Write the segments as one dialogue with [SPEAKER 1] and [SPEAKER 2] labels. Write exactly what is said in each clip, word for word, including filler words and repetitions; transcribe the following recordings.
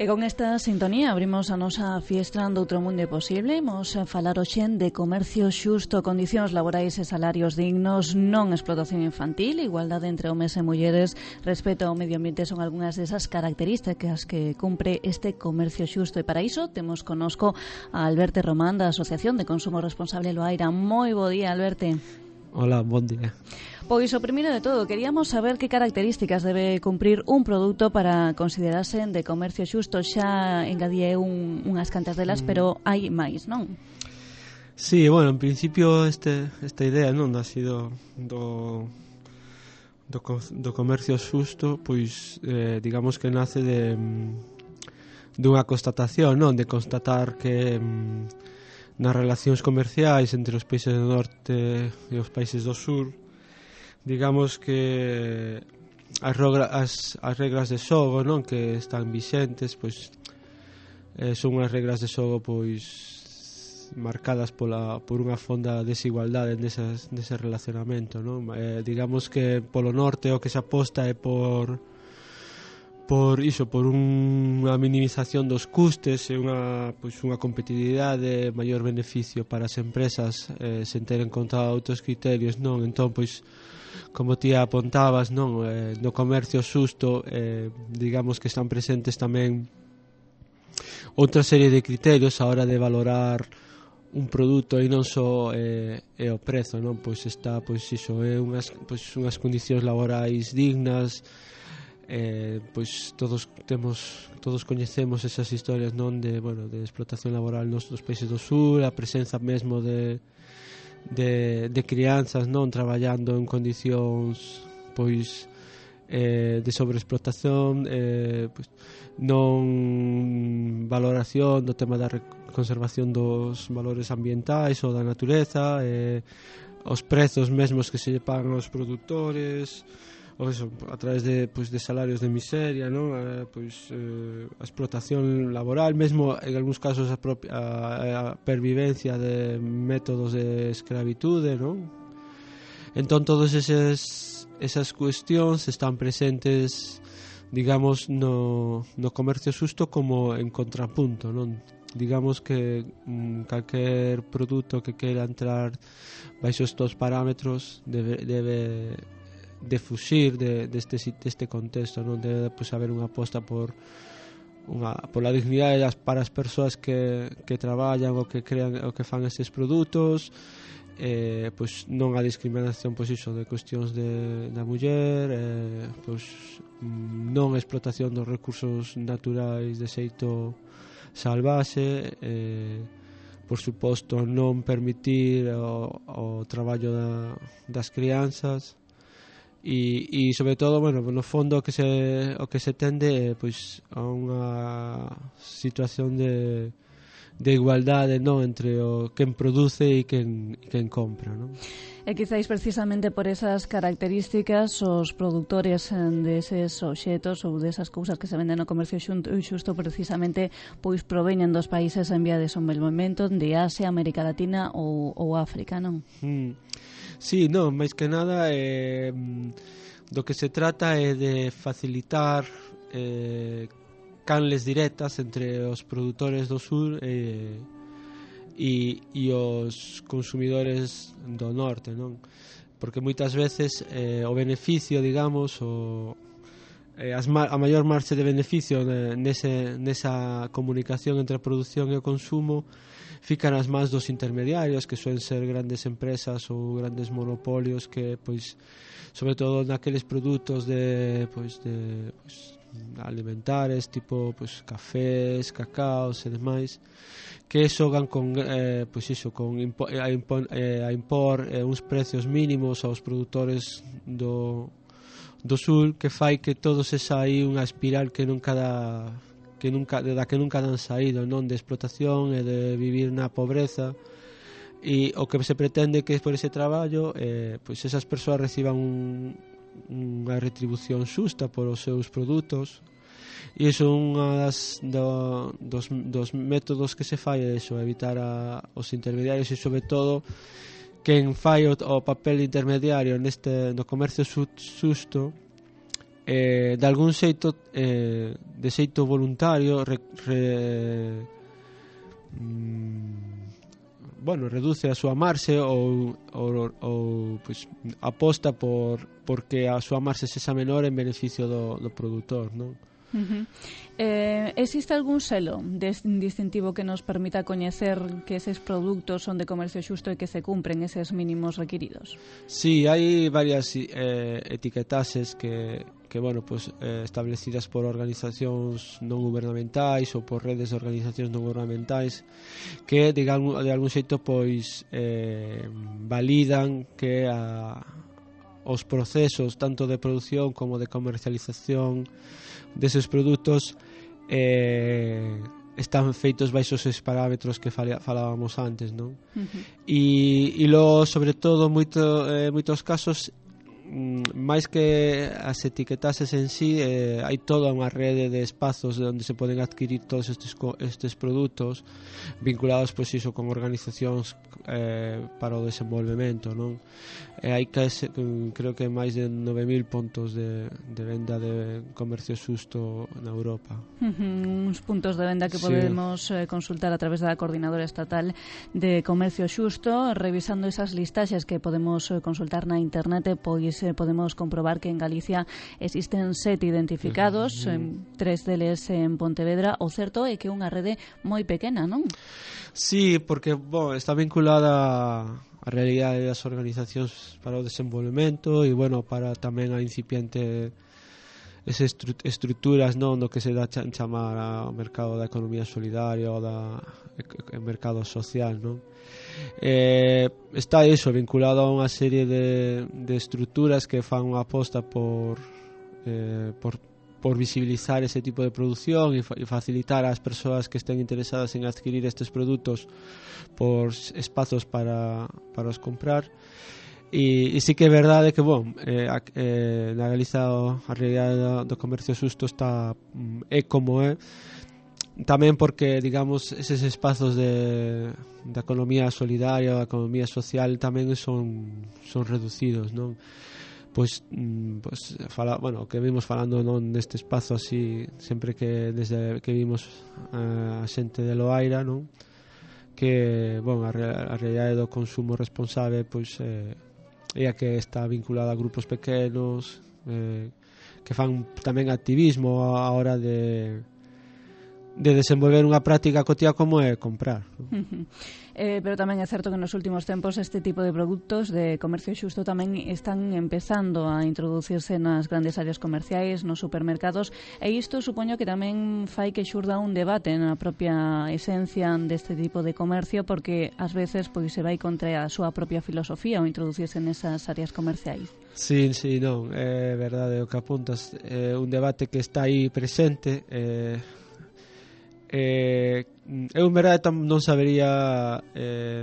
[SPEAKER 1] E con esta sintonía abrimos a nosa fiestra do outro mundo posible. Imos falar hoxe de comercio xusto, condicións laborais e salarios dignos, non explotación infantil, igualdade entre homes e mulleres, respeto ao medio ambiente son algunhas desas características que cumpre este comercio xusto. E para iso temos conosco a Alberto Román da Asociación de Consumo Responsable Loaira. Moi bo día, Alberto.
[SPEAKER 2] Hola, bon día.
[SPEAKER 1] Pois o primeiro de todo, queríamos saber que características debe cumprir un produto para considerarse de comercio xusto. Xa engadíe un, unhas cantas delas, mm. pero hai máis, non?
[SPEAKER 2] Sí, bueno, en principio este, esta idea non ha sido do, do, do comercio xusto, pois eh, digamos que nace de dunha constatación, non? De constatar que nas relacións comerciais entre os países do norte e os países do sur, digamos que as, rogra, as, as regras de xogo, non, que están vixentes, pois eh, son unhas regras de xogo pois marcadas pola, por unha fonda desigualdade nesas, nese relacionamento, non? Eh, digamos que polo norte o que se aposta é por por iso, por unha minimización dos custes e unha, pois, unha competitividade, maior beneficio para as empresas eh, sen ter en conta outros criterios, non? Entón, pois, como ti apontabas, non, eh, no comercio xusto, eh, digamos que están presentes tamén outra serie de criterios a hora de valorar un produto e non só eh, é o prezo, non? Pois está, pois iso, é unhas, pois, unhas condicións laborais dignas. Eh, pois todos temos todos coñecemos esas historias, non, de, bueno, de explotación laboral nos dos países do sur, a presenza mesmo de de, de crianzas, non, traballando en condicións pois eh, de sobreexplotación, eh, pois, non valoración do tema da conservación dos valores ambientais ou da natureza, eh, os prezos mesmos que se lle pagan aos produtores, ou eso, a través de, pois, de salarios de miseria, non? Eh, pois, eh, a explotación laboral, mesmo en algúns casos a, propia, a, a pervivencia de métodos de escravitude, non? Entón todos eses, esas cuestións están presentes, digamos, no, no comercio xusto como en contrapunto, non? Digamos que mm, calquer produto que queira entrar baixo estos parámetros debe, debe de fuxir de, deste, deste contexto, non? Debe pues, haber unha aposta por unha, por a dignidade das, para as persoas que, que traballan ou que crean ou que fan estes produtos, eh, pues, non a discriminación, pois iso, de cuestións de, da muller, eh, pues, non a explotación dos recursos naturais de xeito salvaxe, eh, por suposto non permitir o, o traballo da, das crianzas. E, e sobre todo, bueno, no fondo o que se o que se tende é pois a unha situación de de igualdade, non, entre o quen produce e quen e quen compra, non?
[SPEAKER 1] E quizáis precisamente por esas características os produtores deses obxetos ou desas cousas que se venden no comercio xusto precisamente pois proveñen dos países en vía de desenvolvemento, de Asia, América Latina ou, ou África, non?
[SPEAKER 2] Mm. Sí, non, máis que nada eh, do que se trata é de facilitar eh, canles directas entre os produtores do sur e, e, e os consumidores do norte, non? Porque moitas veces eh, o beneficio, digamos, o, eh, as ma- a maior marxe de beneficio nese, nesa comunicación entre a produción e o consumo fican as mans dos intermediarios, que suelen ser grandes empresas ou grandes monopolios que, pois, sobre todo naqueles produtos de, pois, de, pois, alimentares, tipo, pois, cafés, cacaos e demais, que xogan con, eh, pois iso, con impo, a, impor, eh, a impor eh, uns precios mínimos aos produtores do, do sur, que fai que todo se saí unha espiral que nunca dá que nunca, da que nunca dan saído, non, de explotación e de vivir na pobreza, e o que se pretende que por ese traballo eh, pois esas persoas reciban un, unha retribución xusta por os seus produtos, e iso unha das do, dos, dos métodos que se fai é iso, evitar a, os intermediarios e sobre todo quen fai o, o papel intermediario neste no comercio xusto eh, de algún xeito eh, de xeito voluntario re, re, mm, bueno, reduce a súa marxe ou, ou, ou pues, aposta por porque a súa marxe sexa menor en beneficio do, do produtor, non?
[SPEAKER 1] Uh-huh. Eh, existe algún selo de distintivo que nos permita coñecer que eses produtos son de comercio xusto e que se cumpren eses mínimos requiridos?
[SPEAKER 2] Sí, hai varias eh, etiquetases que, que bueno, pues, eh, establecidas por organizacións non gubernamentais ou por redes de organizacións non gubernamentais que de algún, de algún xeito pois eh, validan que a, os procesos tanto de produción como de comercialización deses produtos eh, están feitos baixo esos parámetros que falábamos antes, non? Uh-huh. E, e logo, sobre todo, moito, eh, moitos casos máis que as etiquetases en sí, eh, hai toda unha rede de espazos onde se poden adquirir todos estes, estes produtos vinculados, pois iso, con organizacións eh, para o desenvolvemento, non? E hai case, creo que máis de nove mil puntos de, de venda de comercio xusto na Europa.
[SPEAKER 1] Uh-huh, uns puntos de venda que podemos sí. eh, consultar a través da Coordinadora Estatal de Comercio Xusto. Revisando esas listaxes que podemos eh, consultar na internet, pois eh, podemos comprobar que en Galicia existen sete identificados, uh-huh. eh, tres deles en Pontevedra. O certo é que é unha rede moi pequena, non?
[SPEAKER 2] Sí, porque bon, está vinculada a realidade das organizacións para o desenvolvemento e, bueno, para tamén a incipiente esas estruturas, non, do que se dá ch- chamar ao mercado da economía solidaria ou da e- mercado social, non? Eh, está iso vinculado a unha serie de, de estruturas que fan unha aposta por eh, por por visibilizar ese tipo de producción e, fa- e facilitar ás persoas que estén interesadas en adquirir estes produtos por espazos para, para os comprar. E, e sí que é verdade que, bon, eh, a, eh, na Galiza a realidade do, do comercio xusto está é como é, tamén porque, digamos, eses espazos de, da economía solidaria, da economía social tamén son, son reducidos, non? Pois, pois fala, bueno, que vimos falando non deste espazo así sempre que desde que vimos uh, a xente de Loaira, non? Que, bon, a, a realidade do consumo responsable pois eh, é a que está vinculada a grupos pequenos eh, que fan tamén activismo a hora de de desenvolver unha práctica cotiá como é comprar.
[SPEAKER 1] Uh-huh. Eh, pero tamén é certo que nos últimos tempos este tipo de produtos de comercio xusto tamén están empezando a introducirse nas grandes áreas comerciais, nos supermercados, e isto supoño que tamén fai que xurda un debate na propia esencia deste tipo de comercio, porque ás veces pois se vai contra a súa propia filosofía ou introducirse nesas áreas comerciais.
[SPEAKER 2] Sí, sí, non, é verdade o que apuntas, é un debate que está aí presente. eh, Eh, eu en verdade non sabería eh,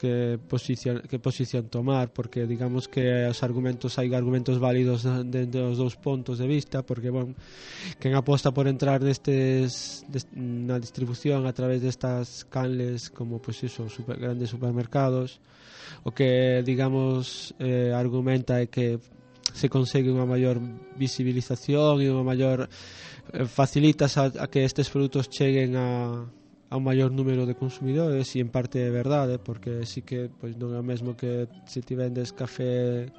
[SPEAKER 2] que posición que posición tomar, porque digamos que os argumentos hai argumentos válidos dentro dos dous puntos de vista, porque bon, quen aposta por entrar nestes des, na distribución a través destas canles como pois iso, super, grandes supermercados, o que digamos eh, argumenta é que se consegue unha maior visibilización e unha maior eh, facilitas a, a que estes produtos cheguen a, a un maior número de consumidores, e en parte é verdade, porque sí que pois, non é o mesmo que se ti vendes café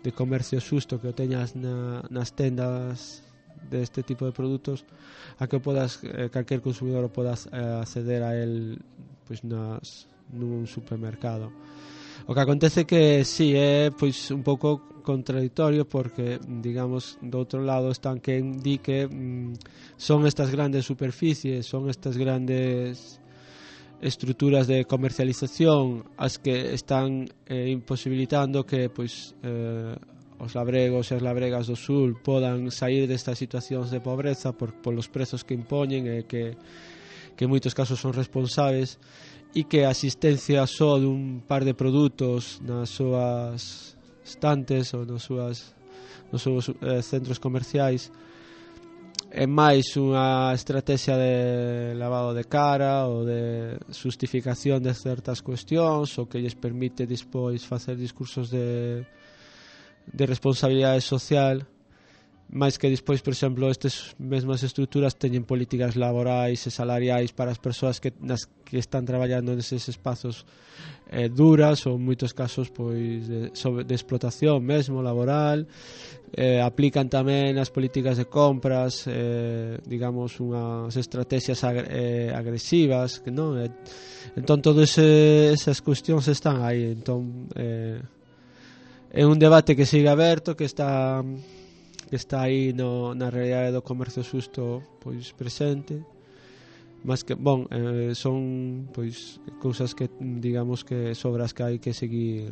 [SPEAKER 2] de comercio xusto que o teñas na, nas tendas deste tipo de produtos, a que podas eh, calquer consumidor o podas eh, acceder a el pois, nas, nun supermercado. O que acontece que sí, é pois un pouco contradictorio, porque digamos do outro lado están quen di que mm, son estas grandes superficies, son estas grandes estruturas de comercialización as que están eh, imposibilitando que pois eh, os labregos e as labregas do sul podan sair destas situacións de pobreza por polos prezos que impoñen e que que en moitos casos son responsables, e que a asistencia só dun par de produtos nas súas estantes ou nos súas nos seus eh, centros comerciais é máis unha estrategia de lavado de cara ou de justificación de certas cuestións, o que lles permite despois facer discursos de, de responsabilidade social, máis que despois, por exemplo, estas mesmas estruturas teñen políticas laborais e salariais para as persoas que, nas que están traballando neses espazos eh, duras, ou en moitos casos pois de, sobre, de explotación mesmo, laboral. Eh, aplican tamén as políticas de compras, eh, digamos, unhas estrategias ag eh, agresivas, que non? Eh, entón, todas esas cuestións están aí. Entón, eh, é un debate que sigue aberto, que está... que está aí no, na realidade do comercio xusto pois presente, mas que, bon, eh, son pois cousas que digamos que sobre as que hai que seguir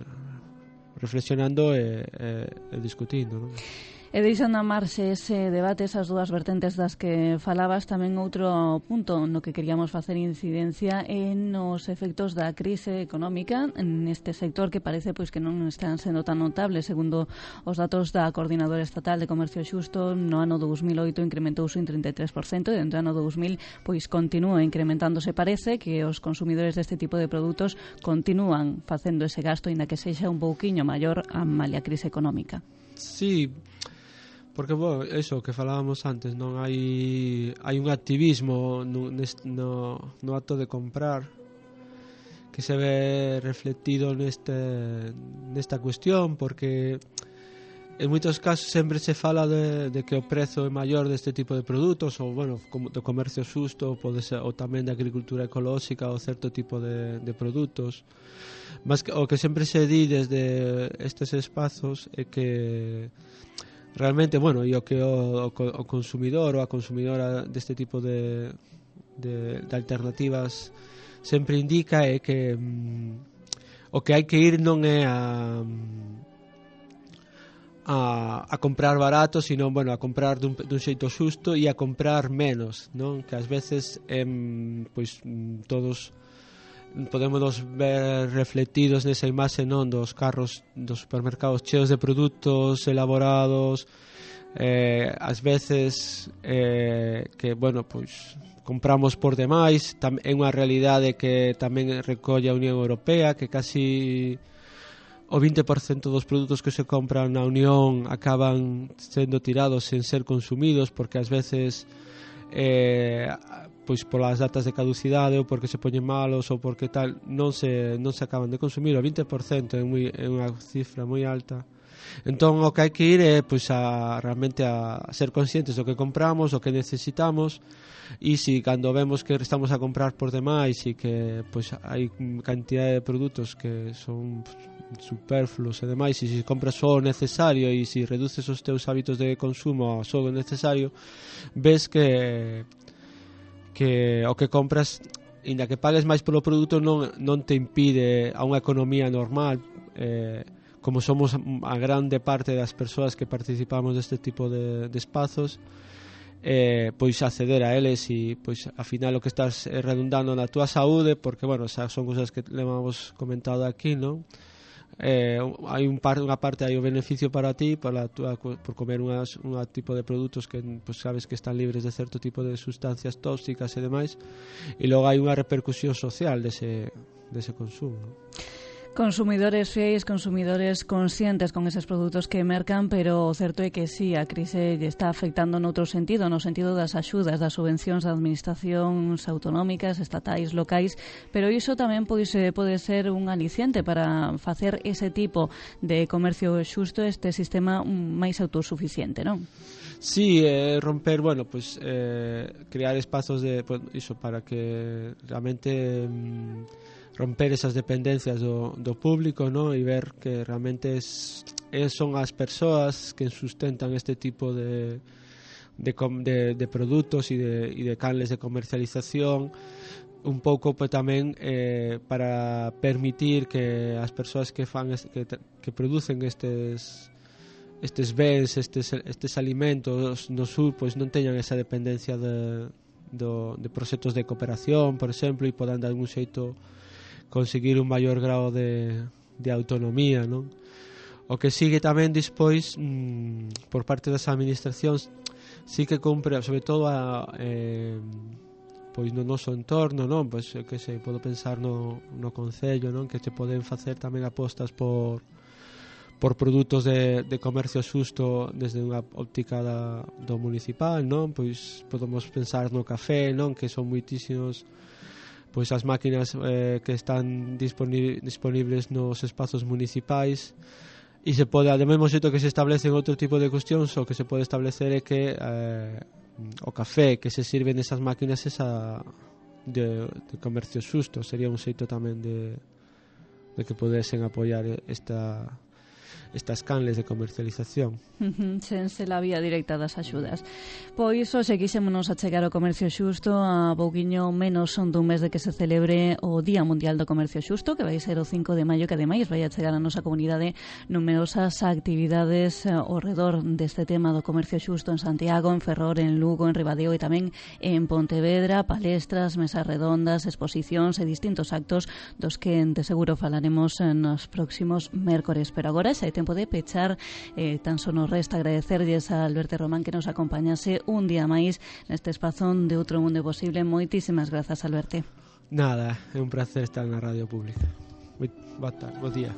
[SPEAKER 2] reflexionando e, e, e discutindo, non?
[SPEAKER 1] E deixando a marxe ese debate, esas dúas vertentes das que falabas, tamén outro punto no que queríamos facer incidencia en os efectos da crise económica neste sector, que parece pois que non están sendo tan notables. Segundo os datos da Coordinadora Estatal de Comercio Xusto, no ano dous mil oito incrementouse un trinta e tres por cento e dentro do ano dous mil pois continúa incrementándose. Parece que os consumidores deste tipo de produtos continúan facendo ese gasto, inda que sexa un pouquiño maior a malia crise económica.
[SPEAKER 2] Sí, porque, bueno, eso que falábamos antes, non hai hai un activismo no, no, no acto de comprar que se ve reflectido neste nesta cuestión, porque en moitos casos sempre se fala de, de que o prezo é maior deste tipo de produtos, ou, bueno, como do comercio xusto, pode ser, ou tamén da agricultura ecolóxica ou certo tipo de, de produtos. Mas que, o que sempre se di desde estes espazos é que realmente, bueno, e o que o, o consumidor ou a consumidora deste tipo de, de, de alternativas sempre indica é que mm, o que hai que ir non é a, a, a comprar barato, sino, bueno, a comprar dun, dun xeito xusto e a comprar menos, non? Que ás veces eh, pois todos podemos ver reflectidos nesa imaxe, non, dos carros dos supermercados cheos de produtos elaborados, eh, ás veces eh, que, bueno, pois compramos por demais. Tam, é unha realidade que tamén recolle a Unión Europea, que casi o vinte por cento dos produtos que se compran na Unión acaban sendo tirados sen ser consumidos, porque ás veces eh, pois polas datas de caducidade ou porque se poñen malos ou porque tal non se, non se acaban de consumir. O vinte por cento é, moi, é unha cifra moi alta. Entón o que hai que ir é pois a realmente a ser conscientes do que compramos, o que necesitamos, e se cando vemos que estamos a comprar por demais e que pois hai cantidade de produtos que son superfluos e demais, e se compras só o necesario e se reduces os teus hábitos de consumo a só o necesario, ves que que o que compras, inda que pagues máis polo produto, non, non te impide a unha economía normal, eh, como somos a grande parte das persoas que participamos deste tipo de, de espazos, eh, pois acceder a eles, e pois ao final o que estás redundando na túa saúde, porque, bueno, xa son cousas que levamos comentado aquí, non? Eh, hai un par, unha parte hai o beneficio para ti para tua, por comer un tipo de produtos que pues, sabes que están libres de certo tipo de sustancias tóxicas e demais, e logo hai unha repercusión social dese, dese consumo, ¿no?
[SPEAKER 1] Consumidores fiéis, consumidores conscientes con eses produtos que mercan, pero o certo é que sí, a crise lle está afectando noutro sentido, no sentido das axudas, das subvencións das administracións autonómicas, estatais, locais, pero iso tamén pode ser, pode ser un aliciente para facer ese tipo de comercio xusto, este sistema máis autosuficiente, non?
[SPEAKER 2] Sí, eh, romper, bueno, pues eh, crear espazos de, pues, iso, para que realmente mm, romper esas dependencias do, do público, ¿no? E ver que realmente es, es, son as persoas que sustentan este tipo de, de, de, de produtos e de, e de canles de comercialización, un pouco pues, tamén eh, para permitir que as persoas que fan que, que producen estes estes bens, estes, estes alimentos no sur, pois non teñan esa dependencia de, do, de proxectos de cooperación, por exemplo, e podan de algún xeito conseguir un maior grado de, de autonomía, non? O que sigue tamén despois mmm, por parte das administracións sí que cumpre, sobre todo a, eh, pois no noso entorno, non? Pois que se podo pensar no, no concello, non? Que se poden facer tamén apostas por por produtos de, de comercio xusto desde unha óptica da, do municipal, non? Pois podemos pensar no café, non? Que son moitísimos pois as máquinas eh, que están disponi- disponibles nos espazos municipais, e se pode, ao mesmo xeito que se establecen outro tipo de cuestións, o que se pode establecer é que eh, o café que se sirve nesas máquinas esa de, de comercio xusto sería un xeito tamén de, de que podesen apoiar esta estas canles de comercialización.
[SPEAKER 1] Sen se la vía directa das axudas. Pois hoxe quixémonos achegar ao comercio xusto a pouquiño menos son dun mes de que se celebre o Día Mundial do Comercio Xusto, que vai ser o cinco de maio, que ademais vai a chegar a nosa comunidade numerosas actividades ao redor deste tema do comercio xusto en Santiago, en Ferrol, en Lugo, en Ribadeo e tamén en Pontevedra, palestras, mesas redondas, exposicións e distintos actos dos que de seguro falaremos nos próximos mércores. Pero agora xa hai tempo de pechar, eh, tan só nos resta agradecerlles a Alberto Román que nos acompañase un día máis neste espazón de Outro Mundo Posible. Moitísimas grazas, Alberto.
[SPEAKER 2] Nada, é un placer estar na Radio Pública. Moi boa tarde, bo día.